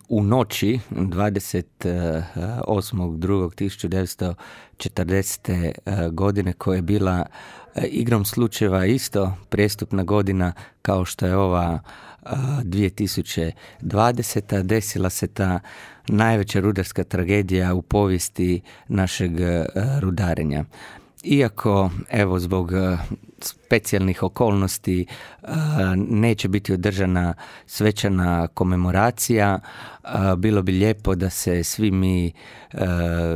u noći 28.2.1940. godine, koja je bila igrom slučajeva isto prestupna godina kao što je ova 2020. desila se ta najveća rudarska tragedija u povijesti našeg rudarenja. Iako, evo, zbog specijalnih okolnosti neće biti održana svečana komemoracija, bilo bi lijepo da se svi mi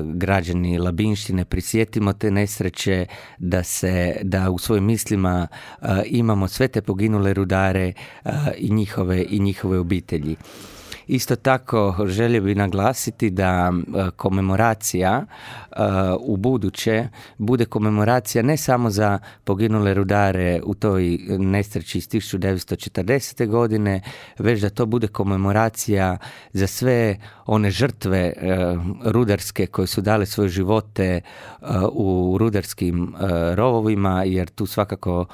građani Labinštine prisjetimo te nesreće, da u svojim mislima imamo sve te poginule rudare i njihove obitelji. Isto tako želio bih naglasiti da komemoracija u buduće bude komemoracija ne samo za poginule rudare u toj nesreći iz 1940. godine, već da to bude komemoracija za sve one žrtve rudarske koje su dale svoje živote u rudarskim rovovima, jer tu svakako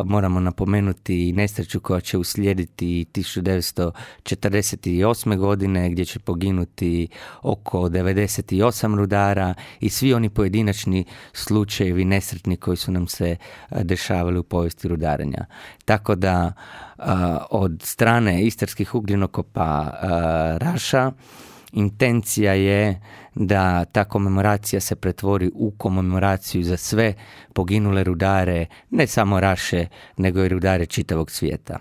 moramo napomenuti i nesreću koja će uslijediti 1948. godine gdje će poginuti oko 98 rudara i svi oni pojedinačni slučajevi nesretni koji su nam se dešavali u povijesti rudarenja. Tako da od strane Istarskih ugljenokopa Raša intencija je da ta komemoracija se pretvori u komemoraciju za sve poginule rudare, ne samo Raše, nego i rudare čitavog svijeta.